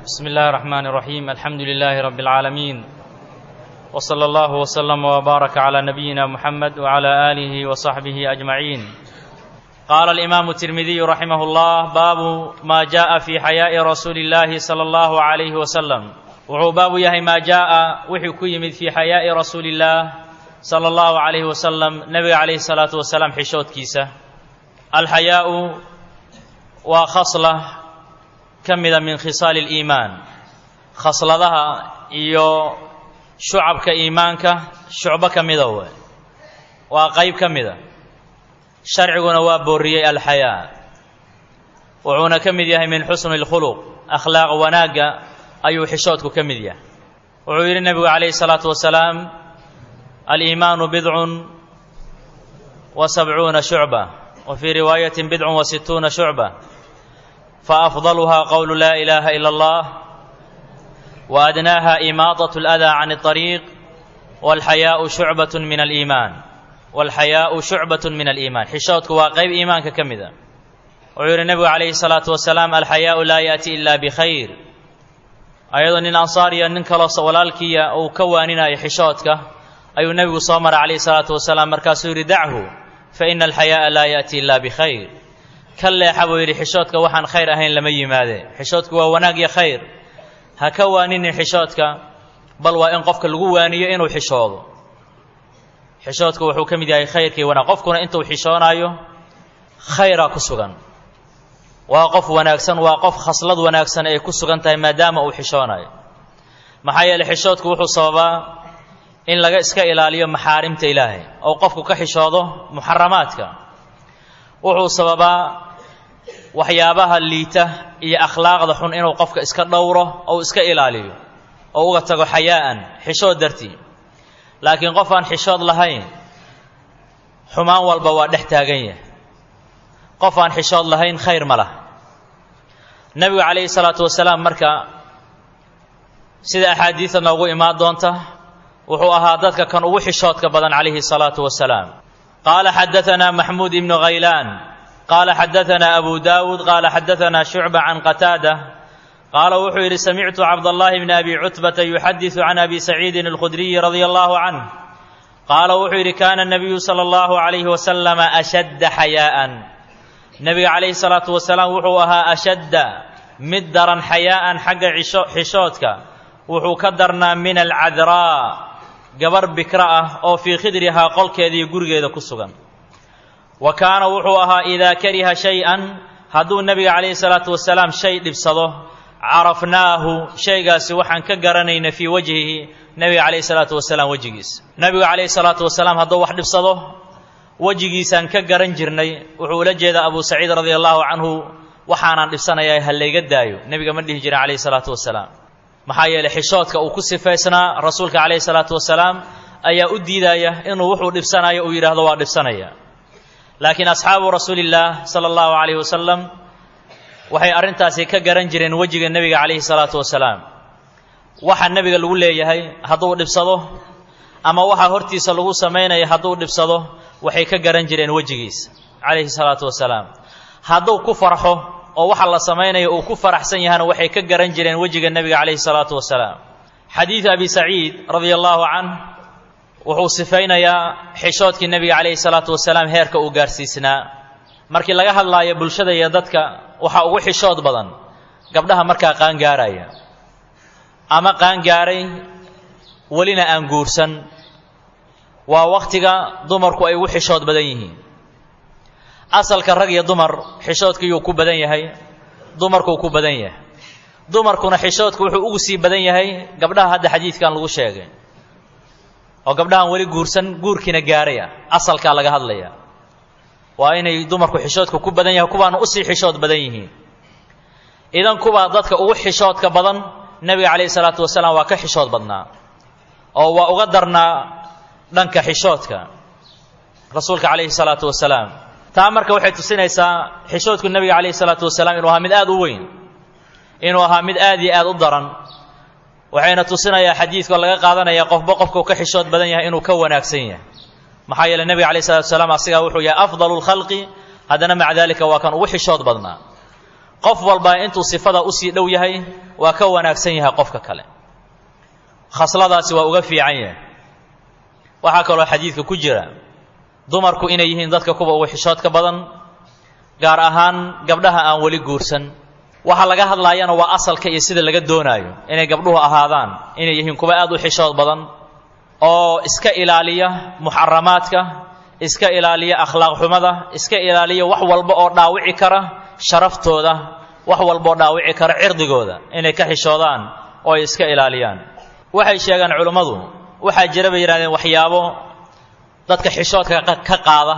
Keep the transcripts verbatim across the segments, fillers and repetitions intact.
بسم الله الرحمن الرحيم. الحمد لله رب العالمين، وصلى الله وسلم وبارك على نبينا محمد وعلى آله وصحبه أجمعين. قال الإمام الترمذي رحمه الله: باب ما جاء في حياء رسول الله صلى الله عليه وسلم. Wuxuu baabu yahay maa jaa'a, wixii ku yimid, fii xayaa'i rasuulillaah sala allahu calayhi wasalam, nebiga calayhi salaatu wasalaam xishoodkiisa. Alxayaa'u waa khasla ka mida min khisaali aliimaan, khasladaha iyo shucabka iimaanka shucbo ka mida we, waa qayb ka mida. Sharciguna waa booriyey alxayaa, wuxuuna ka mid yahay min xusni اlkhuluq, akhlaaq wanaagga ayuu xishoodku ka mid yahay. Wuxuu yidhi nebigu calayhi salaatu wasalaam: aliimaanu bidcun wa sabcuuna shucba, wa fii riwaayatin bidcun wa situuna shucba, faafdaluhaa qowlu laa ilaaha ila allah, wa adnaaha imaadaة اladaa can اطariiq, walxayaau shucbat min aliimaan, walxayaau shucbat min aliimaan. Xishoodku waa qayb iimaanka ka mida. Wuxuu yidhi nebigu calayhi salaatu wasalaam: alxayaau laa yaأti ila bikhayr. Ayadoo nin ansaariya nin kaloo walaalkiiya uu ka waaninayo xishoodka ayuu nebigu soo maray calayhi salaatu wasalaam. Markaasuu yidhi: dachu fa ina alxayaa'a laa yaأti ila bikhayr. Ka leexa, buu yidhi, xishoodka waxaan khayr ahayn lama yimaade. Xishoodku waa wanaag iyo khayr. Ha ka waaninin xishoodka, bal waa in qofka lagu waaniyo inuu xishoodo. Xishoodku wuxuu ka mid yahay khayrkii wanaag. Qofkuna intuu xishoonaayo khayraa ku sugan, waa qof wanaagsan, waa qof khaslad wanaagsan ay ku sugan tahay maadaama uu xishoonayo. Maxaa yeeley, xishoodku wuxuu sababaa in laga iska ilaaliyo maxaarimta Ilaahay oo qofku ka xishoodo muxaramaadka. Wuxuu sababaa waxyaabaha liita iyo akhlaaqda xun inuu qofka iska dhowro oo iska ilaaliyo oo uga tago xayaa'an, xishood dartii. Laakiin qof aan xishood lahayn xumaan walba waa dhex taagan yahay. Qof aan xishood lahayn khayr ma laha. Nebigu calayhi salaatu wasalaam marka, sida axaadiida noogu imaan doonta, wuxuu ahaa dadka kan ugu xishoodka badan calayhi salaatu wasalaam. Qaala xadaanaa Maxmuud ibnu Khaylaan, qaala xadaanaa Abu Daawuud, qaala xadaanaa Shucba can Qataada, qaala wuxuu yidhi: samictu Cabdallaahi bni Abi Cutbata yuxadisu can Abi Saciidin Alkhudriyi radia allahu canh, qaala wuxuu yidhi: kaana nabiyu sala allahu calayhi wasalama ashadda xayaa'an. Nebiga calayhi salaatu wasalaam wuxuu ahaa ashadda, mid daran, xayaa'an, xagga xishoodka wuxuu ka darnaa, min alcadraa, gabar bikra ah oo fii khidrihaa, qolkeeda iyo gurigeeda ku sugan. Wa kaana wuxuu ahaa idaa kariha shay-an, hadduu nebiga calayhi salaatu wasalaam shay dhibsado, carafnaahu, shaygaasi waxaan ka garanayna, fii wajhihi, nebiga calayhi salaatu wasalaam wejigiisa. Nebigu calayhi salaatu wasalaam hadduu wax dhibsado wejigiisaan ka garan jirnay. Wuxuu ula jeedaa Abu Saciid radia allahu canhu, waxaanaan dhibsanayaa ha layga daayo nebiga ma dhihi jirin calayhi salaatu wasalaam. Maxaa yeeley, xishoodka uu ku sifaysnaa rasuulka calayhi salaatu wasalaam ayaa u diidaya inuu wuxuu dhibsanayo uu yidhaahdo waa dhibsanaya. Laakiin asxaabu rasuulillaah sala allahu calayhi wasalam waxay arrintaasi ka garan jireen wejiga nebiga calayhi salaatu wasalaam. Waxa nebiga lagu leeyahay hadduu dhibsado ama waxa hortiisa lagu samaynaya hadduu dhibsado, waxay ka garan jireen wejigiisa calayhi salaatu wasalaam. Hadduu ku farxo oo waxa la samaynayo uu ku faraxsan yahana, waxay ka garan jireen wejiga nebiga calayhi salaatu wasalaam. Xadiidu Abi Saciid radia allahu canh wuxuu sifaynayaa xishoodkii nebiga calayhi salaatu wasalaam heerka uu gaarsiisnaa. Markii laga hadlaayo bulshada iyo dadka, waxaa ugu xishood badan gabdhaha markaa qaangaaraya ama qaangaaray welina aan guursan. Waa wakhtiga dumarku ay ugu xishood badan yihiin. Asalka rag iyo dumar xishoodkiyuu ku badan yahay? Dumarkuu ku badan yahay. Dumarkuna xishoodku wuxuu ugu sii badan yahay gabdhaha hadda xadiidkan lagu sheegay, oo gabdhahan weli guursan, guurkiina gaaray ah. Asalkaa laga hadlaya waa inay dumarku xishoodka ku badan yahay, kuwaana usii xishood badan yihiin. Idan kuwaa dadka ugu xishoodka badan, nebiga calayhi salaatu wasalaam waa ka xishood badnaa oo waa uga darnaa dhanka xishoodka rasuulka calayhi salaatu wasalaam. Taa marka waxay tusinaysaa xishoodku nebiga calayhi salaatu wasalaam inuu ahaa mid aad u weyn, inuu ahaa mid aad iyo aad u daran. Waxayna tusinayaa xadiidkoo laga qaadanaya qofba qofkuu ka xishood badan yahay inuu ka wanaagsan yahay. Maxaa yeeley, nebiga calayhi salatu wasalaam asigaa wuxuu yahay afdalu lkhalqi, haddana maca daalika waa kan ugu xishood badnaa. Qof walba intuu sifada usii dhow yahay waa ka wanaagsan yahay qofka kale, khasladaasi waa uga fiican yahay. Waxaa kaloo xadiidka ku jira dumarku inay yihiin dadka kuwa ugu xishoodka badan, gaar ahaan gabdhaha aan weli guursan. Waxa laga hadlaayana waa asalka iyo sida laga doonaayo inay gabdhuhu ahaadaan, inay yihiin kuwa aad u xishood badan oo iska ilaaliya muxaramaadka, iska ilaaliya akhlaaq xumada, iska ilaaliya wax walba oo dhaawici kara sharaftooda, wax walba oo dhaawici kara cirdigooda, inay ka xishoodaan oo ay iska ilaaliyaan. Waxay sheegaan culummadu, waxaa jira bay yidhahdeen waxyaabo dadka xishoodka ka qaada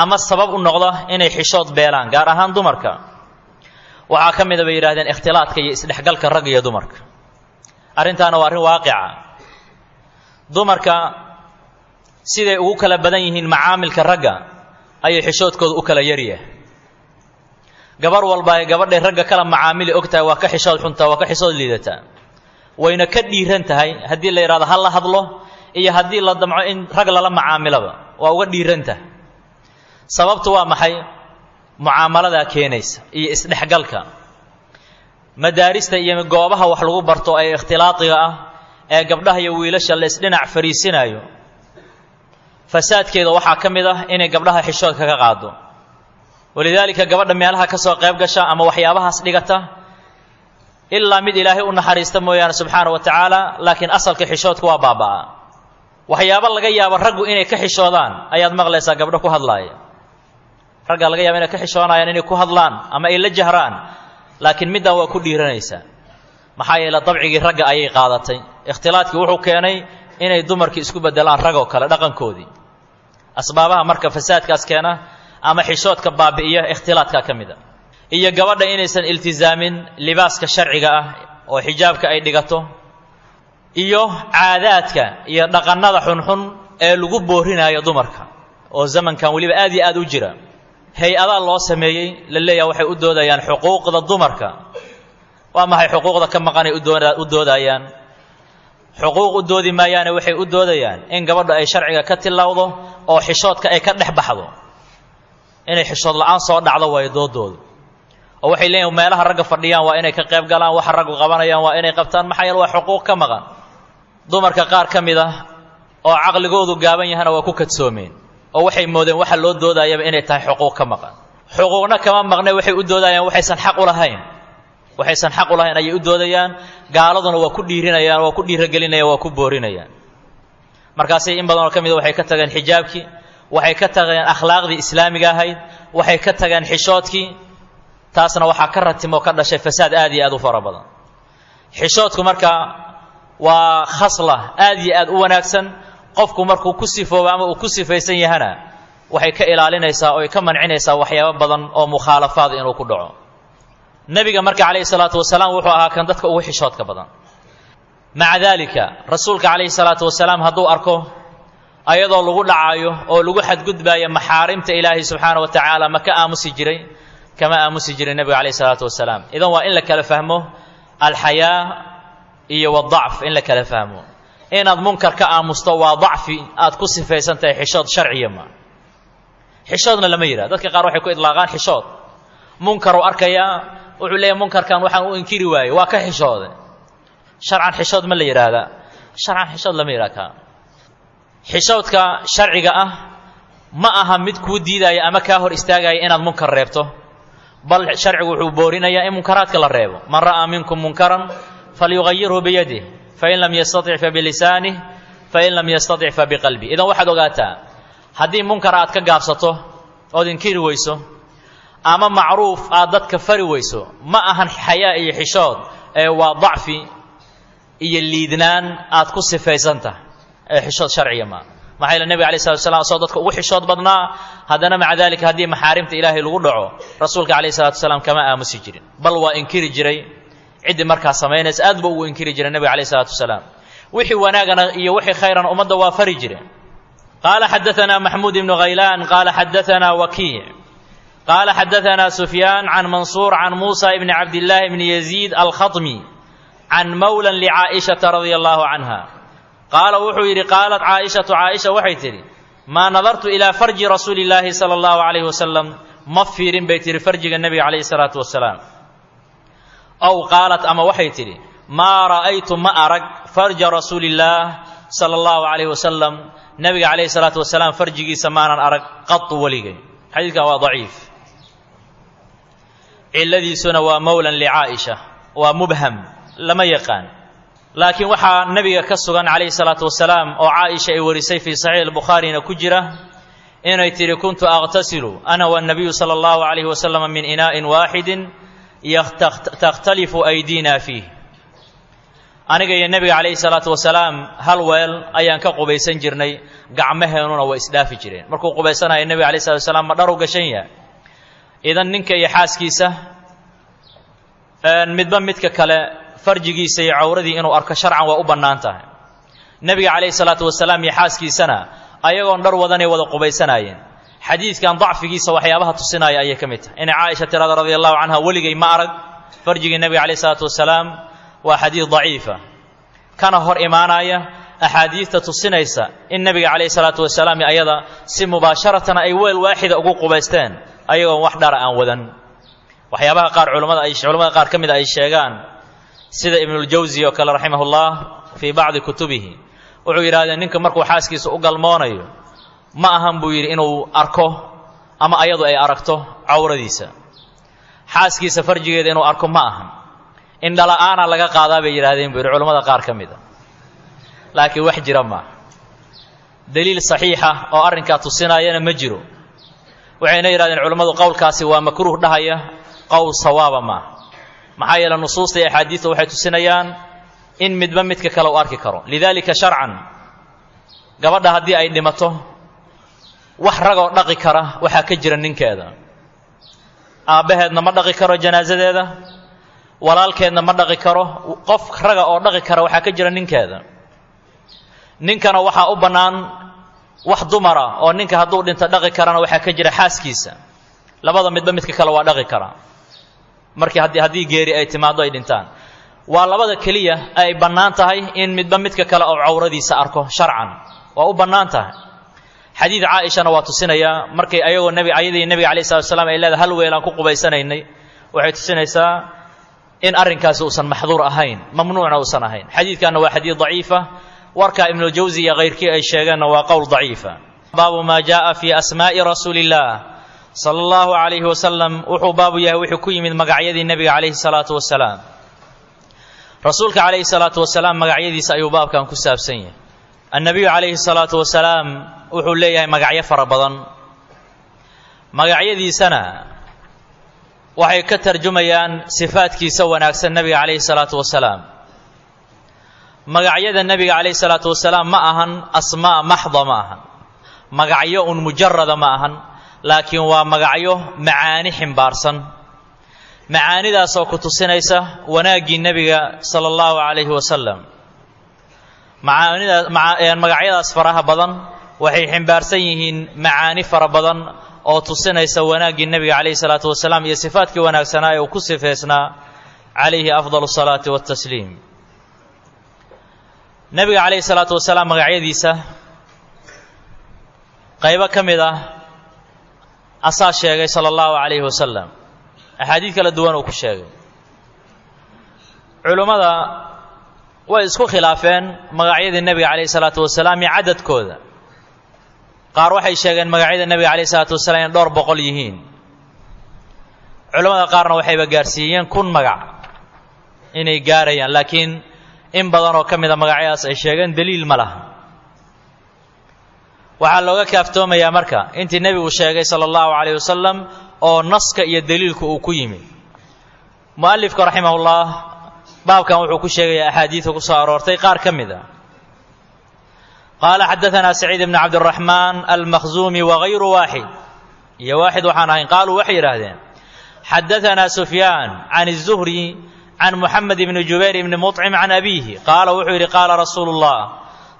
ama sabab u noqda inay xishood beelaan, gaar ahaan dumarka. Waxaa ka mid a bay yidhahdeen ikhtilaadka iyo isdhexgalka ragga iyo dumarka. Arrintaana waa arrin waaqica. Dumarka siday ugu kala badan yihiin macaamilka ragga ayay xishoodkooda u kala yaryahay. Gabar walba ay gabadhay ragga kala macaamili og tahay waa ka xishood xuntaa, waa ka xishood liidataa, wayna ka dhiiran tahay haddii la yidhahdo ha la hadlo iyo haddii la damco in rag lala macaamilaba waa uga dhiiran tahay. Sababtu waa maxay? Mucaamaladaa keenaysa iyo isdhexgalka. Madaarista iyo goobaha wax lagu barto ee ikhtilaatiga ah ee gabdhaha iyo wiilasha la isdhinac fariisinayo, fasaadkeeda waxaa ka mid ah inay gabdhaha xishoodka ka qaado. Walidaalika gabadha meelaha ka soo qayb gasha ama waxyaabahaas dhigata, ilaa mid ilaahay u naxariista mooyaane subxaana wa tacaala, laakiin asalka xishoodku waa baaba'aa. Waxyaabo laga yaabo raggu inay ka xishoodaan ayaad maqlaysaa gabdho ku hadlaaya. Ragga laga yaaba inay ka xishoonayaan inay ku hadlaan ama ay la jahraan, laakiin middan waa ku dhiiranaysaa. Maxaa yeele dabcigii ragga ayay qaadatay. Ikhtilaadkii wuxuu keenay inay dumarkii isku beddelaan ragoo kale dhaqankoodii. Asbaabaha marka fasaadkaas keena ama xishoodka baabi'iya ikhtilaadkaa ka mid a. Iyo gabadha inaysan iltisaamin libaaska sharciga ah oo xijaabka ay dhigato, iyo caadaadka iyo dhaqannada xunxun ee lagu boorinayo dumarka oo zamankan weliba aad iyo aad u jira. Hay-adaa loo sameeyey la leeyaha waxay u doodayaan xuquuqda dumarka. Waa maxay xuquuqda ka maqanay u doodayaan? Xuquuq u doodi maayaane waxay u doodayaan in gabadha ay sharciga ka tilawdo oo xishoodka ay ka dhex baxdo, inay xishood la'aan soo dhacdo waayo doodoodu. Oo waxay leeyihin meelaha ragga fadhiyaan waa inay ka qayb galaan, waxa raggu qabanayaan waa inay qabtaan, maxaa yeele waa xuquuq ka maqan. Dumarka qaar ka mid ah oo caqligoodu gaaban yahana waa ku kadsoomeen oo waxay moodeen waxa loo doodayaba inay tahay xuquuq ka maqan. Xuquuqna kama maqne, waxay u doodayaan waxaysan xaq u lahayn, waxaysan xaq u lahayn ayay u doodayaan. Gaaladuna waa ku dhiirinayaan, waa ku dhiiragelinayaan, waa ku boorinayaan. Markaasay in badan oo ka mid a waxay ka tageen xijaabkii, waxay ka tageen akhlaaqdii islaamiga ahayd, waxay ka tageen xishoodkii. Taasna waxaa ka ratimo ka dhashay fasaad aad iyo aad u fara badan. Xishoodku marka waa khasla aad iyo aad u wanaagsan. Qofku markuu ku sifoobo ama uu ku sifaysan yahana waxay ka ilaalinaysaa oo ay ka mancinaysaa waxyaabo badan oo mukhaalafaad inuu ku dhaco. Nabiga marka calayhi salaatu wasalaam wuxuu ahaa kan dadka ugu xishoodka badan. Maca daalika rasuulka calayhi salaatu wasalaam hadduu arko ayadoo lagu dhacaayo oo lagu xadgudbaayo maxaarimta ilaahay subxaana wa tacaala, ma ka aamusi jiray? Kama aamusi jiray nabiga calayhi salaatu wasalaam. Idan waa in la kala fahmo alxayaa iyo wadacf, in la kala fahmo. Inaad munkar ka aamusto waa dacfi aad ku sifaysan tahay, xishood sharciya ma. Xishoodna lama yidhaha. Dadka qaar waxay ku idlaaqaan xishood. Munkaruu arkayaa, wuxuu leeyahay munkarkan waxaan u inkiri waayey, waa ka xishoode. Sharcan xishood ma la yidhaahdaa? Sharcan xishood lama yidhaha kaa. Xishoodka sharciga ah ma aha mid kuu diidaya ama kaa hor istaagaya inaad munkar reebto, bal sharcigu wuxuu boorinayaa in munkaraadka la reebo. Man ra'aa minkum munkaran falyugayirhu biyadih, fain lam yastatic fabilisaanih, fain lam yastatic fabiqalbih. Idan waxaad ogaataa haddii munkar aad ka gaabsato ood inkiri weyso ama macruuf aad dadka fari weyso, ma ahan xayaa iyo xishood ee waa dacfi iyo liidnaan aad ku sifaysan tahay ee xishood sharciya maa. Maxaa yeele nebiga alayhi salatu wasalaam asagoo dadka ugu xishood badnaa, haddana maca daalika haddii maxaarimta ilaahay lagu dhaco rasuulka calayhi salatu wasalaam kama aamusi jirin, bal waa inkiri jiray. Ciddii markaa samaynaysa aad buu ugu inkiri jiray nebiga calayhi salatu wasalaam. Wixii wanaagana iyo wixii khayrana ummadda waa fari jireen. Qaala xadatanaa Maxmuud ibnu Khaylaan qaala xadatanaa Wakiic qaala xadatanaa Sufyaan can Mansuur can Muusa ibni Cabdillaahi ibni Yaziid alkhatmi can mawlan licaa'ishata radia allahu canha qaala wuxuu yidhi qaalat Caaishatu, Caaisha waxay tidhi maa nadartu ilaa farji rasuuli illaahi sala allahu calayhi wasalam, ma fiirin bay tihi farjiga nebiga calayhi salaatu wasalaam. Ow qaalat, ama waxay tidhi maa ra'aytu, ma arag farja rasuulillaah sala allahu calayhi wasalam, nabiga calayhi salaatu wasalaam farjigiisa maanan arag qatu weligay. Xadiidkan waa daciif, cilladiisuna waa mowlan licaa'isha, waa mubham, lama yaqaan. Laakiin waxaa nabiga ka sugan calayhi salaatu wasalaam oo caaisha ay warisay fii saxiix albukhaarina ku jira inay tidhi kuntu aqtasilu ana wanabiyu sala allahu calayhi wasalam min inaa'in waaxidin takhtalifu aydiina fiih. Aniga iyo nebiga calayhi salaatu wasalaam hal weel ayaan ka qubaysan jirnay, gacmaheennuna way isdhaafi jireen. Markuu qubaysanaya nebiga alayh salatu wasalaam ma dhar u gashan yahay. Idan ninka iyo xaaskiisa midba midka kale farjigiisa iyo cawradii inuu arko sharcan waa u bannaan tahay. Nebiga calayhi salaatu wasalaam iyo xaaskiisana ayagoon dhar wadanay wada qubaysanaayeen. Xadiidkan dacfigiisa waxyaabaha tusinaya ayay ka mid tahay inay caaisha tirada radia allahu canha weligay ma arag farjigii nebiga calayhi salaatu wasalaam. Waa xadiid daciifa kana hor imaanaya axaadiidta tusinaysa in nebiga calayhi salaatu wasalaam ayada si mubaasharatan ay weel waaxida ugu qubaysteen ayagoon wax dhara aan wadan. Waxyaabaha qaar culamada ay culamada qaar ka mid ay sheegaan sida Ibnuljawsi oo kale raximahullah fii bacdi kutubihi wuxuu yidhahdeen ninka markuu xaaskiisa u galmoonayo ma ahan buu yidhi inuu arko ama ayadu ay aragto cawradiisa, xaaskiisa farjigeeda inuu arko ma ahan, indhala-aana laga qaadaa bay yidhahdeen buu yidhi culamada qaar ka mid a. Laakiin wax jira maaha, daliil saxiixa oo arrinkaa tusinayana ma jiro. Waxayna yidhahdeen culammadu qowlkaasi waa makruuh dhahaya, qowl sawaaba maaha, maxaa yeele nusuusta iyo axaadiista waxay tusinayaan in midba midka kale u arki karo. Lidaalika sharcan gabadha haddii ay dhimato wax ragoo dhaqi kara waxaa ka jira ninkeeda, aabbaheedna ma dhaqi karo janaasadeeda, walaalkeedna ma dhaqi karo, qof raga oo dhaqi kara waxaa ka jira ninkeeda. Ninkana waxaa u bannaan wax dumara oo ninka hadduu dhinto dhaqi karana waxaa ka jira xaaskiisa. Labada midba midka kale waa dhaqi karaa markii haddii haddii geeri ay timaaddo ay dhintaan. Waa labada keliya ay bannaan tahay in midba midka kale oo cawradiisa arko sharcan, waa u bannaan tahay. Xadiid caaishana waa tusinayaa markay ayagoo nebi ayadii nebiga calayhi salatu wasalaam ay leedahay hal weelaan ku qubaysanaynay, waxay tusinaysaa in arrinkaasi uusan maxduur ahayn, mamnuucna uusan ahayn. Xadiidkanna waa xadiid daciifa, warkaa Ibnuljawsi iyo kayrkii ay sheegeenna waa qowl daciifa. Baabu maa jaaa fii asmaa'i rasuulillaah sala allahu calayhi wasalam, wuxuu baabu yahay wuxuu ku yimid magacyadii nebiga calayhi salaatu wasalaam. Rasuulka calayhi salaatu wasalaam magacyadiisa ayuu baabkan ku saabsan yahay. Annabiyu calayhi salaatu wasalaam wuxuu leeyahay magacyo fara badan, magacyadiisana waxay ka tarjumayaan sifaadkiisa wanaagsan nebiga calayhi salaatu wasalaam. Magacyada nebiga calayhi salaatu wasalaam ma ahan asmaa maxda, ma ahan magacyo un mujarada ma ahan, laakiin waa magacyo macaani ximbaarsan, macaanidaasoo ku tusinaysa wanaaggii nebiga sala allahu calayhi wasalam. Macaanidaa magacyadaas faraha badan waxay ximbaarsan yihiin macaani fara badan oo tusinaysa wanaaggii nebiga calayhi salaatu wasalaam iyo sifaadkii wanaagsanaa ee uu ku sifeysnaa calayhi afdalu salaati watasliim. Nebiga calayhi salaatu wasalaam magacyadiisa qaybo ka mid ah asaa sheegay sala allahu calayhi wasalam, axaadiid kala duwan uu ku sheegay. Culummada way isku khilaafeen magacyadii nebiga calayhi salaatu wasalaam iyo cadadkooda. Qaar waxay sheegeen magacyada nebiga calayhi salaatu wasalaam inay dhowr boqol yihiin, culammada qaarna waxayba gaarsiiyeen kun magac inay gaarayaan, laakiin in badan oo ka mid a magacyadaas ay sheegeen daliil ma laha. Waxaa looga kaaftoomayaa marka intii nebigu sheegay sala allahu calayh wasalam oo naska iyo daliilku uu ku yimi. Mu'alifka raximahullah baabkan wuxuu ku sheegayaa axaadiidka ku soo aroortay qaar ka mid a. Qaala xadaanaa Saciid ibni Cabdiraxmaan almakhzuumi wagayru waaxid iyo waaxid waxaan ahayn, qaaluu waxay yidhaahdeen xadaanaa Sufyaan can الzuhri can Muxamed ibni Jubayr ibni Muطcim can abiihi qaala wuxuu yidhi qaala rasuulu اllah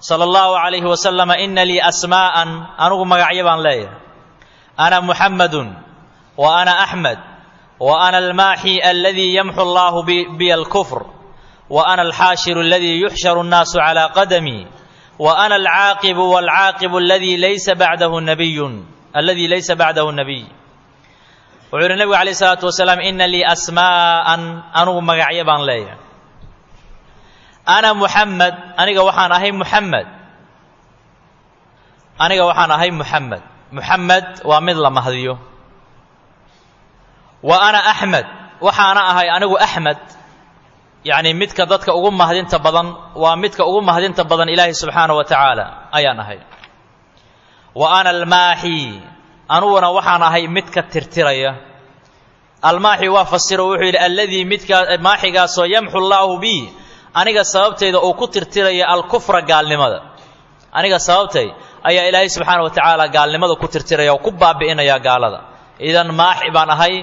sala allahu calayhi wasalama ina lii asmaa'an, anugu magacyo baan leeyahay, ana Muxamadun wa ana Axmed wa ana almaaxi aladii yamxu allahu biya alkufr wa ana alxaashiru aladii yuxsharu annaasu calaa qadamii wa ana alcaaqibu waalcaaqibu aladii laysa bacdahu nabiyun aladii laysa bacdahu nabiy. Wuxuu yidhi nebigu calayh isalaatu wasalaam inna lii asmaa'an, anugu magacyo baan leeyahay. Ana muxamed, aniga waxaan ahay muxamed, aniga waxaan ahay muxamed. Muxamed waa mid la mahdiyo. Wa ana axmed, waxaana ahay anigu axmed, yacni midka dadka ugu mahdinta badan, waa midka ugu mahdinta badan ilaahay subxaanahu wa tacaala ayaan ahay. Wa ana almaaxi, anuguna waxaan ahay midka tirtiraya. Almaaxi waa fasiro, wuxuu yidhi alladii midka maaxigaasoo yamxu llaahu bi, aniga sababtayda uu ku tirtiraya alkufra, gaalnimada. Aniga sababtay ayaa ilaahay subxaana wa tacaala gaalnimada ku tirtiraya oo ku baabi'inaya gaalada. Idan maaxi baan ahay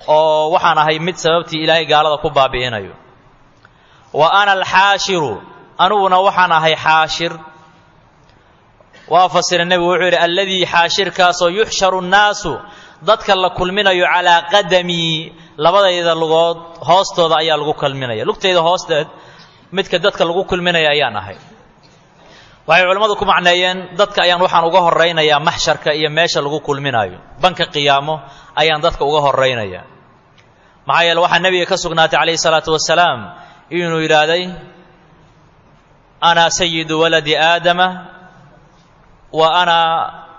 oo waxaan ahay mid sababtii ilaahay gaalada ku baabi'inayo. Wa ana alxaashiru, aniguna waxaan ahay xaashir. Waa fasiray nebigu, wuxuu yidhi alladii xaashirkaasoo yuxsharu nnaasu, dadka la kulminayo calaa qadamii, labadayda lugood hoostooda ayaa lagu kulminaya, lugtayda hoosteed midka dadka lagu kulminaya ayaan ahay. Waxay culimmadu ku macneeyeen dadka ayaan waxaan uga horraynayaa maxsharka iyo meesha lagu kulminayo, banka qiyaamo ayaan dadka uga horraynaya. Maxaa yeele waxaa nebiga ka sugnaatay calayhi salaatu wasalaam inuu yidhaahday ana sayidu waladi aadama wa ana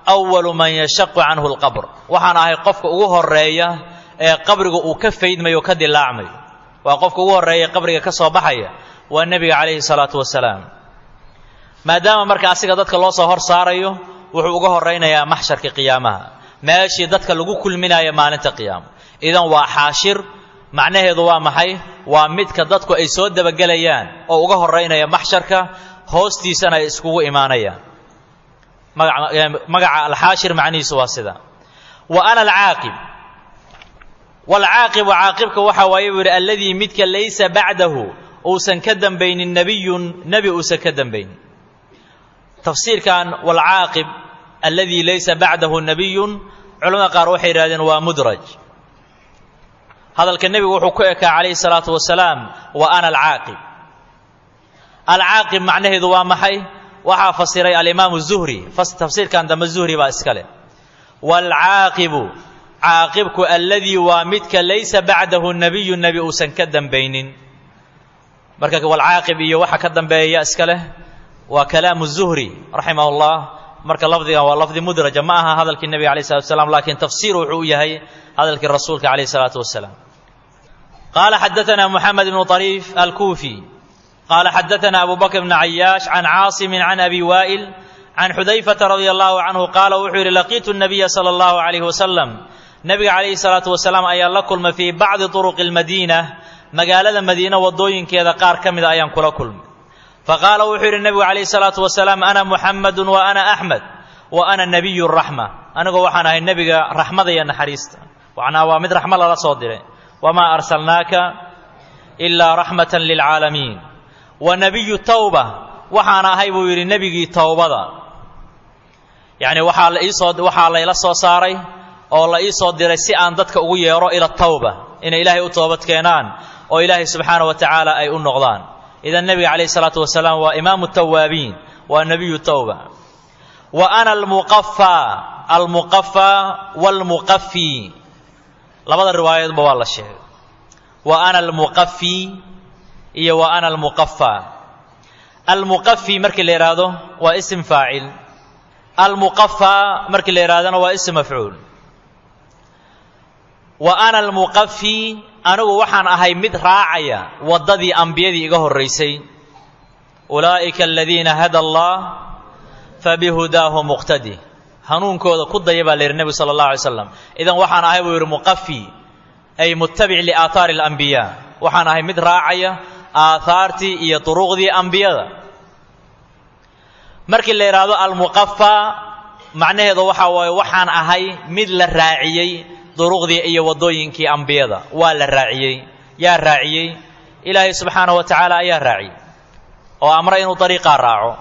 awalu man yashaqu canhu alqabr. Waxaan ahay qofka ugu horreeya ee qabriga uu ka faydmayo o ka dilaacmayo. Waa qofka ugu horreeya qabriga ka soo baxaya, waa nebiga calayhi salaatu wasalaam. Maadaama marka asiga dadka loo soo hor saarayo, wuxuu uga horraynayaa maxsharka qiyaamaha, meeshii dadka lagu kulminayo maalinta qiyaamo. Idan waa xaashir, macnaheedu waa maxay? Waa midka dadku ay soo dabagelayaan oo uga horraynaya maxsharka, hoostiisana ay iskugu imaanayaan. Magaca alxaashir macnihiisu waa sida. Wa ana alcaaqib, waalcaaqibu, caaqibka waxaa waaye buu yidhi alladii midka laysa bacdahu, uusan ka dambaynin nebiyun, nebi uusan ka dambaynin. Tafsiirkan waalcaaqib alladii laysa bacdahu nebiyun, culamada qaar waxay yidhahdeen waa mudraj. Hadalka nebigu wuxuu ku ekaa calayhi salaatu wasalaam wa ana alcaaqib. Alcaaqib macnaheedu waa maxay? Waxaa fasiray alimaamu zuhri, tafsiirkan dambe zuhri baa iska leh. Waalcaaqibu, caaqibku alladii waa midka laysa bacdahu nebiyu, nebi uusan ka dambaynin. Marka walcaaqib iyo waxa ka dambeeya iska leh waa kalaamu zuhri raximah llah. Marka lafdigan waa lafdi mudraja, ma aha hadalkii nebiga alayh salatu wasalaam, laakiin tafsiir wuxuu u yahay hadalkii rasuulka calayh salaatu wasalaam. Qaala xadaana moxamed ibnu طariif alkuufi qaala xadaana abu bakr bn cayaash can caasimin can abi waa'il can xudayfata radia allahu canhu qaala wuxuu yidhi laqiitu nabiya sala allahu calayhi wasalam, nebiga calayhi salaatu wasalaam ayaa la kulmay fii bacdi turuqi almadiina, magaalada madiina waddooyinkeeda qaar ka mida ayaan kula kulmay. Faqaala wuxuu yidhi nebigu calayhi salaatu wasalaam ana muxamedun wa ana axmed wa ana nebiyu raxma, anigoo waxaan ahay nebiga raxmada iyo naxariista. Macnaa waa mid raxmo lala soo diray. Wamaa arsalnaaka ilaa raxmatan lilcaalamiin. Wa nebiyu tawba, waxaan ahay buu yidhi nebigii towbada. Yacni waxaa la iisoo waxaa layla soo saaray oo la ii soo diray si aan dadka ugu yeero ila tawba, inay ilaahay u toobad keenaan oo ilaahay subxaana wa tacaala ay u noqdaan. Idan nebiga calayhi salaatu wasalaam waa imaamu tawaabiin, waa nebiyu tawba. Wa ana almuqafaa, almuqafaa waalmuqafi, labada riwaayadoodba waa la sheegay. Wa ana almuqafi iyo wa ana almuqafaa. Almuqafi markii la yidhaahdo waa isim faacil, almuqafaa markii la yidhahdona waa isim mafcuul. Wa ana almuqafi, anigu waxaan ahay mid raacaya waddadii ambiyadii iga horraysay. Ulaa'ika aladiina hada allah fabihudaahu muqtadi, hanuunkooda ku daya baa la yidhi nebigu sala allah alay slam. Idan waxaan ahay buu yidhi muqafi, ay muttabic liaathaari alambiyaa, waxaan ahay mid raacaya aathaartii iyo duruqdii ambiyada. Markii la yidhaahdo almuqafaa, macnaheedu waxaa waaye waxaan ahay mid la raaciyey duruqdii iyo waddooyinkii ambiyada. Waa la raaciyey. Yaa raaciyey? Ilaahay subxaanahu wa tacaala ayaa raaciyey oo amray inuu dariiqaa raaco.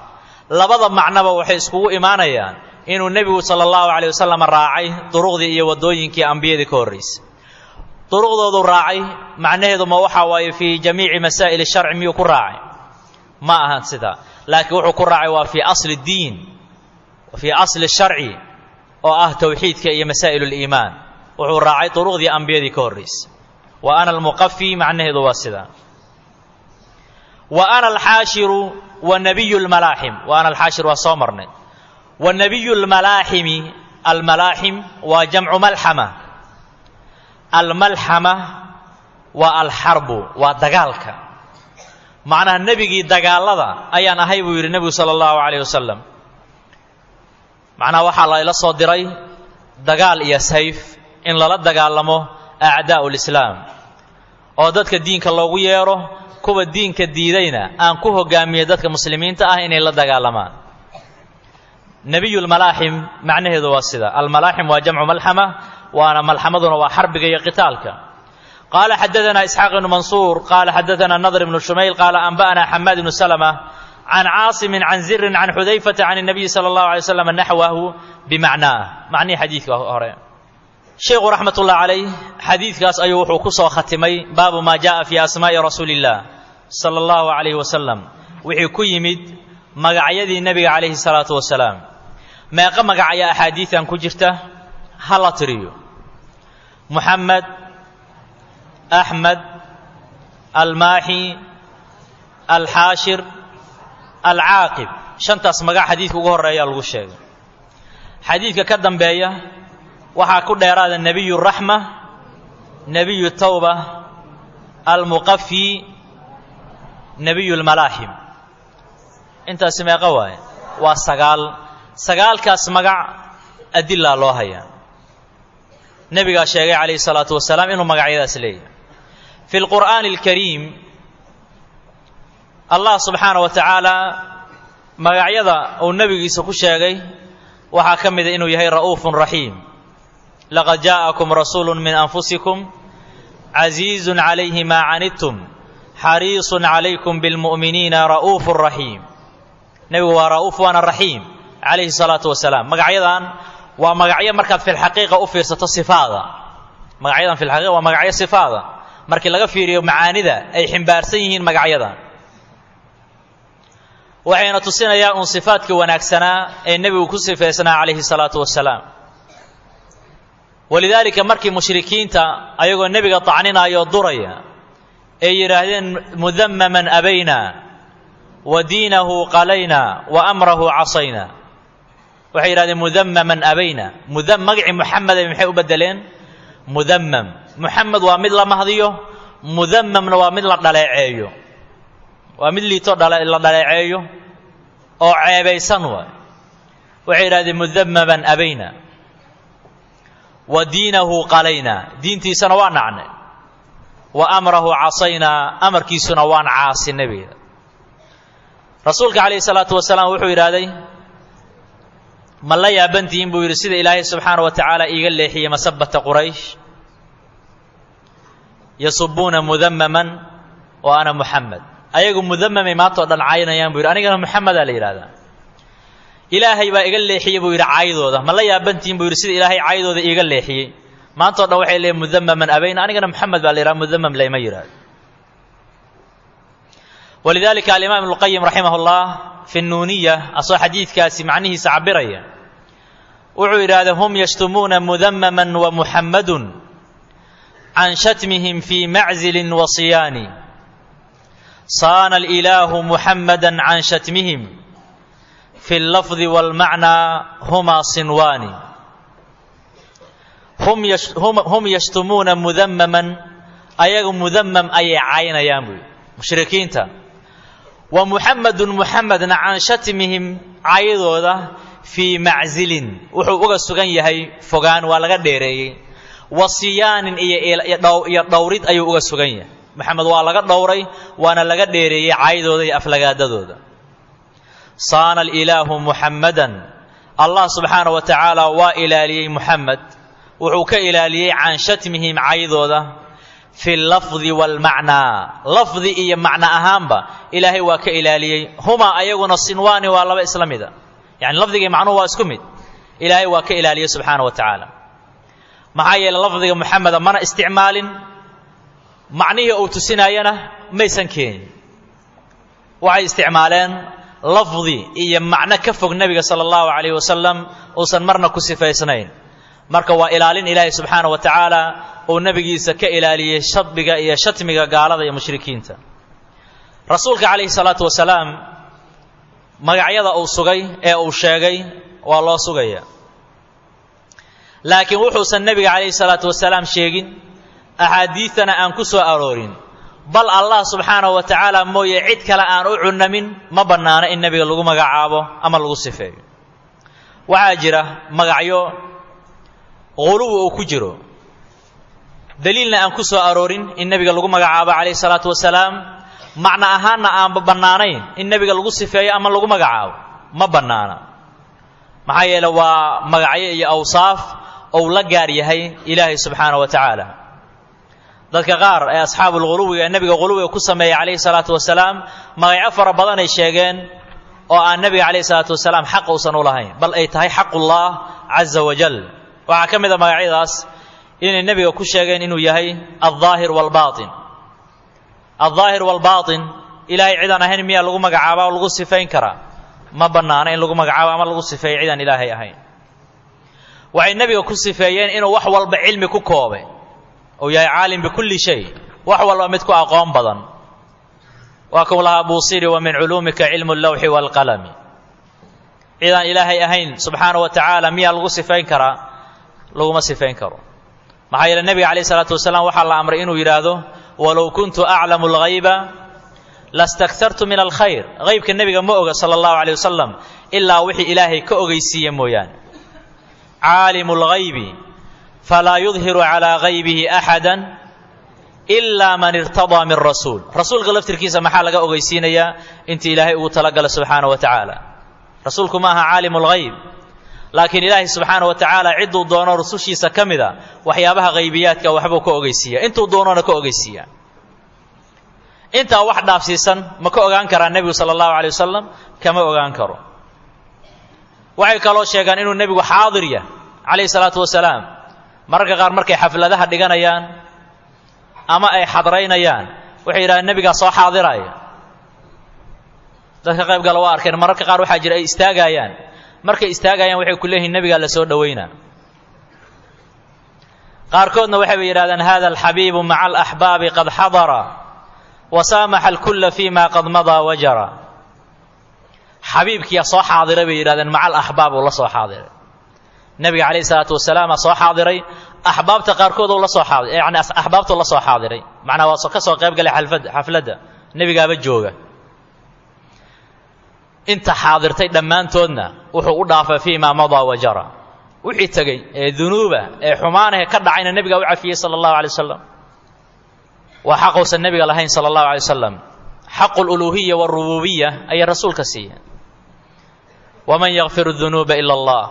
Labada macnoba waxay iskugu imaanayaan inuu nebigu sala allahu calayh wasalam raacay duruqdii iyo waddooyinkii ambiyadii ka horraysay. Duruqdoodu raacay macnaheedu ma waxaa waaye fii jamiici masaa'il sharci miyuu ku raacay? Ma ahan sidaa, laakiin wuxuu ku raacay waa fii asli diin, fii asli sharci oo ah towxiidka iyo masaa'il liimaan. Wuxuu raacay duruqdii ambiyadii ka horreysay. Wa ana almuqafi macnaheedu waa sidaa. Wa ana alxaashiru wa nabiyu lmalaaxim. Wa ana alxaashir waa soo marnay. Wa nabiyu lmalaaximi, almalaaxim waa jamcu malxama. Almalxama waa alxarbu, waa dagaalka. Macnaha nebigii dagaalada ayaan ahay buu yidhi nebigu sala allahu calayh wasalam. Macnaha waxaa layla soo diray dagaal iyo sayf in lala dagaalamo acdaa'u lislaam, oo dadka diinka loogu yeedho, kuwa diinka diidayna aan ku hogaamiyo dadka muslimiinta ah inay la dagaalamaan. Nebiyulmalaaxim macnaheedu waa sida. Almalaaxim waa jamcu malxama, waana malxamaduna waa xarbiga iyo qitaalka. Qaala xadadanaa Isxaaq ibnu Mansuur qaala xadadanaa Nadr ibnu Shumayl qaala anba'anaa Xamaad ibnu Salama can Caasimin can Zirin can Xudayfata can الnabiyi sala allahu alay slam naxwahu bimacnaah, macnihii xadiidka hore. Sheikhu raxmatullah calayh xadiidkaas ayuu wuxuu ku soo khatimay baabu maa jaءa fii asmaa'i rasuuli illah sala allahu calayhi wasalam, wixii ku yimid magacyadii nebiga calayhi salaatu wasalaam. Meeqa magac ayaa axaadiidan ku jirta? Ha la tiriyo. Muxamed, Axmed, Almaaxi, Alxaashir, Alcaaqib. Shantaas magac xadiidka ugu horreeya lagu sheegay. Xadiidka ka dambeeya waxaa ku dheeraada nebiyu raxma, nebiyu tawba, almuqafi, nebiyu lmalaaxim. Intaasi meeqa waaye? Waa sagaal. Sagaalkaas magac adilaa loo hayaa. Nebigaa sheegay calayhi salaatu wasalaam inuu magacyadaas leeyahay. Fi lqur'aani alkariim Allah subxaana wa tacaala magacyada uu nebigiisa ku sheegay waxaa ka mida inuu yahay ra'uufun raxiim. Laqad jaa'akum rasuulu min anfusikum casiizun calayhi maa canidtum xariisun calaykum bilmu'miniina ra'uufun raxiim. Nebigu waa ra'uuf waana raxiim calayhi salaatu wasalaam. Magacyadan waa magacyo markaad filxaqiiqa u fiirsato sifaada. Magacyadan filxaqiiqa waa magacyo sifaada markii laga fiiriyo macaanida ay ximbaarsan yihiin magacyadan. Waxayna tusinayaa uun sifaadkii wanaagsanaa ee nebigu ku sifaysnaa calayhi salaatu wasalaam. Walidaalika markii mushrikiinta ayagoo nebiga tacninaayo duraya ay yidhaahdeen mudamaman abayna wa diinahu qalayna wa amrahu casayna, waxay yidhahdeen mudamaman abayna. Mudam magacii Muxameday maxay u bedeleen? Mudamam. Muxamed waa mid la mahdiyo, mudamamna waa mid la dhaleeceeyo, waa mid liito la dhaleeceeyo oo ceebaysan waay. Waxay yidhahdeen mudamaman abayna wa diinahu qalayna, diintiisana waa nacnay, wa amrahu casaynaa, amarkiisuna waan caasinay bay yidhahdeen. Rasuulka calayhi salaatu wasalaam wuxuu yidhaahday ma la yaabantihiin buu yidhi sida Ilaahay subxaana wa tacaala iiga leexiyey masabata Quraysh, yasubuuna mudamaman wa ana Muxamed. Ayagu mudamamay maanta o dhan caynayaan buu yidhi, anigana Muxamedaa la yidhahdaa. Ilaahay baa iga leexiyey buu yidhi caydooda. Ma la yaabantihiin buu yidhi sida Ilaahay caydooda iiga leexiyey. Maanta o dhan waxay leeyihin mudamaman abayna, anigana Muxamed baa la yidhaha, mudamam layma yidhahdo. Walidaalika alimaam Ibnulqayim raximah ullah fi nnuuniya asoo xadiidkaasi macnihiisa cabiraya wuxuu yidhaahday hum yashtumuuna mudamaman wa Muxammadun can shatmihim fii maczilin wa siyaani, saana alilaahu Muxammadan can shatmihim fi allafdi waalmacnaa humaa sinwaani. Hum yashtumuuna mudamaman, ayagu mudamam ayay caynayaan buu yidhi mushrikiinta, wa Muxamedun Muxamedna can shatmihim caydooda fii maczilin wuxuu uga sugan yahay fogaan, waa laga dheereeyey, wa siyaanin iyo dhowrid ayuu uga sugan yahay. Maxamed waa laga dhowray waana laga dheereeyey caydooda iyo aflagaadadooda. Saana alilaahu Muxammadan, Allah subxaana wa tacaala waa ilaaliyey Muxamed, wuxuu ka ilaaliyey can shatmihim caydooda fi lafdi waalmacnaa, lafdi iyo macno ahaanba Ilaahay waa ka ilaaliyey. Humaa ayaguna sinwaani waa laba isla mida, yani lafdiga iyo macnuhu waa isku mid. Ilaahay waa ka ilaaliyey subxaana wa tacaala. Maxaa yeeley lafdiga Muxameda mana isticmaalin, macnihii uu tusinaayana maysan keenin. Waxay isticmaaleen lafdi iyo macno ka fog nebiga sala allahu calayhi wasalam uusan marna ku sifaysnayn. Marka waa ilaalin Ilaahay subxaanahu wa tacaala uu nabigiisa ka ilaaliyey shadbiga iyo shatmiga gaalada iyo mushrikiinta. Rasuulka calayhi salaatu wasalaam magacyada uu sugay ee uu sheegay waa loo sugaya, laakiin wuxuusan nebiga calayhi salaatu wasalaam sheegin, axaadiidtana aan ku soo aroorin, bal Allah subxaanahu wa tacaala mooye cid kale aan u cunamin, ma bannaano in nebiga lagu magacaabo ama lagu sifeeyo. Waxaa jira magacyo quluwi uu ku jiro, daliilna aan ku soo aroorin in nebiga lagu magacaabo calayhi salaatu wasalaam, macno ahaanna aanba bannaanayn in nebiga lagu sifeeyo ama lagu magacaabo, ma bannaana. Maxaa yeele waa magacyo iyo awsaaf ou la gaar yahay Ilaahay subxaanahu wa tacaala. Dadka qaar ee asxaabul quluwiga ee nebiga quluwiga ku sameeyay calayhi salaatu wasalaam magacyo fara badan ay sheegeen oo aan nebiga calayhi salaatu wasalaam xaq uusan u lahayn, bal ay tahay xaqullah caza wajal. Waxaa ka mid a magacyadaas inay nebiga ku sheegeen inuu yahay aldaahir waalbaatin. Aldaahir waalbaatin Ilaahay cidaan ahayn miyaa lagu magacaabaa oo lagu sifayn karaa? Ma bannaana in lagu magacaabo ama lagu sifeeyo cidaan Ilaahay ahayn. Waxay nebiga ku sifeeyeen inuu wax walba cilmi ku koobay, uu yahay caalim bikulli shay, wax walba mid ku aqoon badan. Waa kuu lahaa Buusiri: wa min culuumika cilmu allawxi waalqalami. Cidaan Ilaahay ahayn subxaanahu wa tacaala miyaa lagu sifayn karaa? Laguma sifayn karo. Maxaa yeele nebiga calayhi salaatu wasalaam waxaa la amray inuu yidhaahdo: walow kuntu aclamu alghayba lastaktartu min alkhayr. Haybka nebiga ma oga sala allahu calayh wasalam ilaa wixii Ilaahay ka ogeysiiye mooyaane. Caalimu lghaybi falaa yudhiru calaa haybihi axada ilaa man irtadaa min rasuul. Rasuulka laftirkiisa maxaa laga ogeysiinayaa? Intii Ilaahay ugu talagala subxaanahu wa tacaala. Rasuulku ma aha caalimu lghayb, laakiin Ilaahay subxaanahu wa tacaala cidduu doono rusushiisa ka mida waxyaabaha haybiyaadka waxbuu ka ogeysiiya, intuu doonona ka ogeysiiya. Intaa wax dhaafsiisan ma ka ogaan karaa nebigu sala allahu alay wasalam? Kama ogaan karo. Waxay kaloo sheegaan inuu nebigu xaadir yahay calayhi salaatu wasalaam. Mararka qaar markay xafladaha dhiganayaan ama ay xadraynayaan waxay yidhahdeen nebigaa soo xaadiraya. Dadka qayb gala waa arkeen mararka qaar waxaa jira ay istaagayaan, markay istaagayaan waxay ku leeyihiin nebigaa la soo dhoweynaa. Qaarkoodna waxayba yidhahdeen hada alxabiibu maca alaxbaabi qad xadara wa saamaxa alkulla fima qad madaa wajara. Xabiibkiyaa soo xaadiray bay yidhahdeen, maca alaxbaab uu la soo xaadiray. Nebiga calayhi salaatu wasalaama soo xaadiray, axbaabta qaarkood uu la soo xaadiray, yacni axbaabtuu la soo xaadiray, macnaa waa ka soo qayb galay xalfad xafladda nebigaaba jooga. Inta xaadirtay dhammaantoodna wuxuu u dhaafay fii maa madaa wajara, wixii tegey ee dunuuba ee xumaanahe ka dhacayna nebigaa u cafiyey sala allahu alay wasalam. Waa xaquusan nebiga lahayn sala allahu alay wasalam. Xaqu luluuhiya waarububiya ayay rasuulka siiyeen. Waman yakfiru dunuuba ila allah.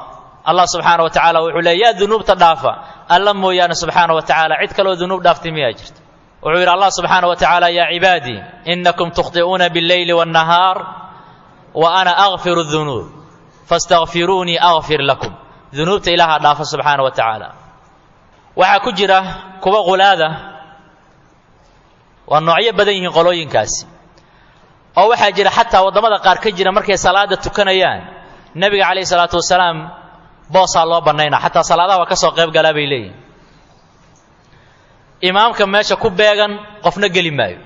Allah subxaana wa tacaala wuxuu leey yaa dunuubta dhaafa alla mooyaane subxaana wa tacaala, cid kaloo dunuub dhaaftay miyaa jirta? Wuxuu yidhi Allah subxaana wa tacaala: yaa cibaadii inakum tukhti'uuna billeyli waannahaar wa ana akfiru dunuub fastakfiruunii akfir lakum. Dunuubta ilaaha dhaafa subxaana wa tacaala. Waxaa ku jira kuwa qulaada, waa noocyo badan yihiin qolooyinkaasi, oo waxaa jira xataa waddamada qaar ka jira markay salaada tukanayaan nebiga calayhi salaatu wasalaam boosaa loo bannaynaa, xataa salaadaha waa ka soo qayb galaa bay leeyihin. Imaamka meesha ku beegan qofna geli maayo,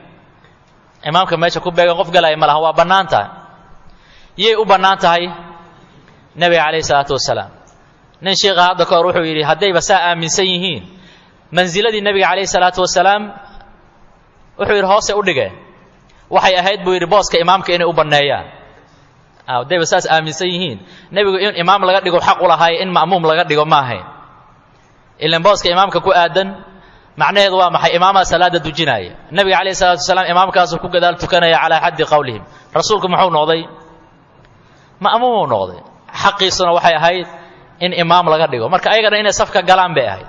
imaamka meesha ku beegan qof galaya ma laha, waa bannaan tahay. Yay u bannaan tahay? Nebiga calayhi salaatu wasalaam. Nin sheikha hadda ka hor wuxuu yidhi haddayba saa aaminsan yihiin mansiladii nebiga calayhi salaatu wasalaam, wuxuu yidhi hoose u dhigeen, waxay ahayd buu yidhi booska imaamka inay u banneeyaan. Haddayba saas aaminsan yihiin nebigu in imaam laga dhigo xaq u lahaay, in ma'muum laga dhigo ma ahayn. Ilan booska imaamka ku aadan macnaheedu waa maxay? Imaamaa salaada dujinaya, nebiga calayhi salatu wasalaam imaamkaasuu ku gadaal tukanaya calaa xaddi qowlihim. Rasuulku muxuu noqday? Ma'muumuu noqday. Xaqiisuna waxay ahayd in imaam laga dhigo, marka ayagana inay safka galaan bay ahayd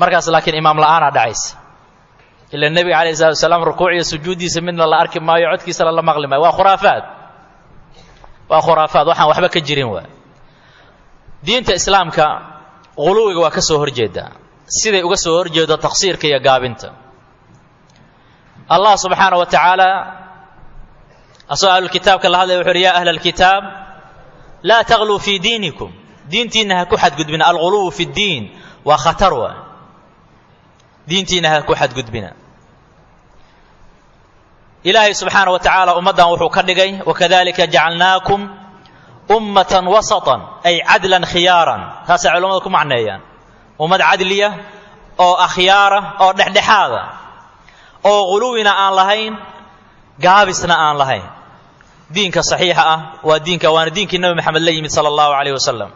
markaas, laakiin imaam la'aanaa dhacaysa. Ila nebiga calayhi salatu wasalaam rukuuc iyo sujuuddiisa midna la arki maayo, codkiisana la maqli maayo. Waa khuraafaad, waa khuraafaad, waxaan waxba ka jirin. Waa diinta islaamka quluwiga waa ka soo horjeedaa, siday uga soo horjeedo taqsiirka iyo gaabinta. Allah subxaana wa tacaala asagoo ahlulkitaabka la hadlaya wuxu uhi: yaa ahla alkitaab laa tagluu fii diinikum. Diintiinna ha ku xadgudbina. Alghuluwu fi ddiin waa khatar wa. Diintiinna ha ku xadgudbina. Ilaahay subxaana wa tacaala ummaddan wuxuu ka dhigay wakadalika jacalnaakum ummatan wasatan ay cadlan khiyaaran. Taasay culamadu ku macneeyaan, ummad cadliya oo akhyaara oo dhexdhexaada, oo ghuluwina aan lahayn, gaabisna aan lahayn. Diinka saxiixa ah waa diinka, waana diinkii Nabi Maxamed la yimid sala allahu calayh wasalam,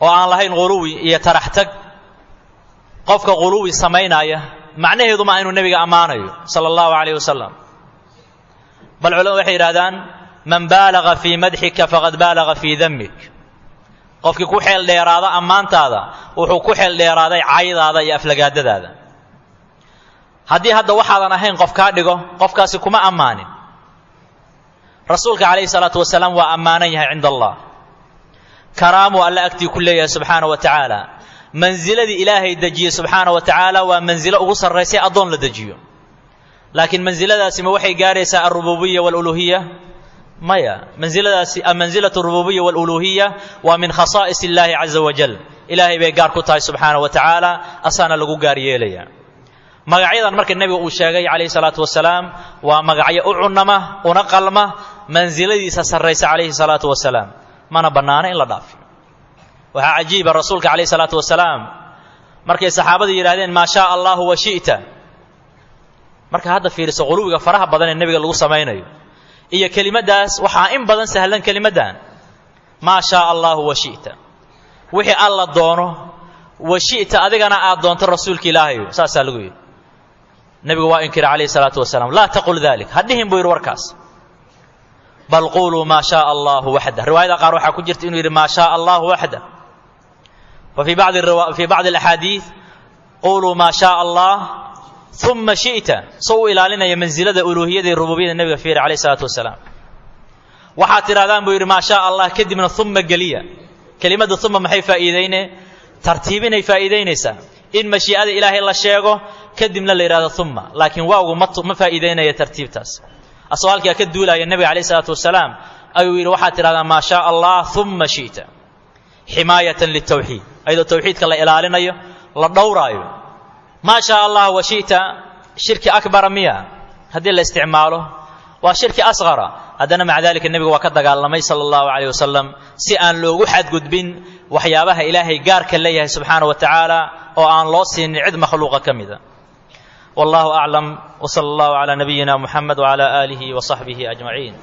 oo aan lahayn ghuluwi iyo taraxtag. Qofka ghuluwi samaynaya macnaheedu maa inuu nebiga ammaanayo sala allahu calayh wasalam. Bal culamadu waxay yidhahdaan man baalaga fii madxika faqad baalaga fii damik. Qofkii ku xeel dheeraada ammaantaada wuxuu ku xeel dheeraaday caydaada iyo aflagaadadaada. Haddii hadda waxaadan ahayn qof kaa dhigo, qofkaasi kuma ammaanin. Rasuulka calayhi salaatu wasalaam waa ammaanan yahay cinda allah, karaamuu alle agtii ku leeyahay subxaana wa tacaala. Mansiladii ilaahay dejiyey subxaana wa tacaala waa mansilo ugu sarraysay addoon la dejiyo. Laakiin mansiladaasi ma waxay gaaraysaa alrububiya waaluluhiya? Maya. Mansiladaasi mansilatu arububiya waaluluhiya waa min khasaa'is illaahi caza wajal. Ilaahay bay gaar ku tahay subxaana wa tacaala, asaana lagu gaar yeelaya. Magacyadan marka nebiga uu sheegay calayhi salaatu wasalaam waa magacyo u cunama una qalma mansiladiisa sarraysa calayhi salaatu wasalaam, mana bannaana in la dhaafiyo. Waxaa cajiiba rasuulka calayhi salaatu wasalaam markay saxaabadu yidhahdeen maa shaa allahu wa shi'ta. Marka hadda fiiriso quluwiga faraha badan ee nebiga lagu samaynayo iyo kelimaddaas, waxaa in badan sahlan kelimaddan maa shaa allahu wa shi'ta, wixii alla doono, wa shi'ta adigana aad doonto rasuulka ilaahayo, saasaa lagu yidhi. Nebigu waa inkira calayhi salaatu wasalaam, laa taqul dalik, ha dhihin buu yidhi warkaas, bal quuluu maa shaa allahu waxda. Riwaayada qaar waxaa ku jirta inuu yidhi maa shaa allahu waxda. Wa fii bacdi fii bacdi alaxaadiid quuluu maa shaa allah uma shi'ta, soo u ilaalinaya mansilada uluuhiyada iyo rububiyada nebiga fiiri calayhi salaatu wasalaam. Waxaad tidhahdaan buu yidhi maa shaa allah, kadibna uma geliya. Kelimadda uma maxay faa'iideyne? Tartiibinay faa'iideynaysaa in mashii'ada ilaahay la sheego kadibna la yidhahdo uma, laakiin waawgu ma ma faa'iideynaya tartiibtaas. Asagoo halkaa ka duulaya nebiga calayhi salaatu wasalaam ayuu yidhi waxaad tidhahdaa maa shaa allah uma shi'ta, ximaayatan liltawxiid, ayadoo tawxiidka la ilaalinayo la dhowraayo. Maa shaa allah wa shi'ta shirki akbara miya haddii la isticmaalo? Waa shirki asqara. Haddana maca dalika nebiga waa ka dagaalamay sala allahu calayh wasalam si aan loogu xadgudbin waxyaabaha ilaahay gaarka leeyahay subxaana wa tacaala oo aan loo siinin cid makhluuqa ka mida. Wallahu aclam, wsala allahu calaa nabiyina muxamed wcala aalihi wa saxbihi ajmaciin.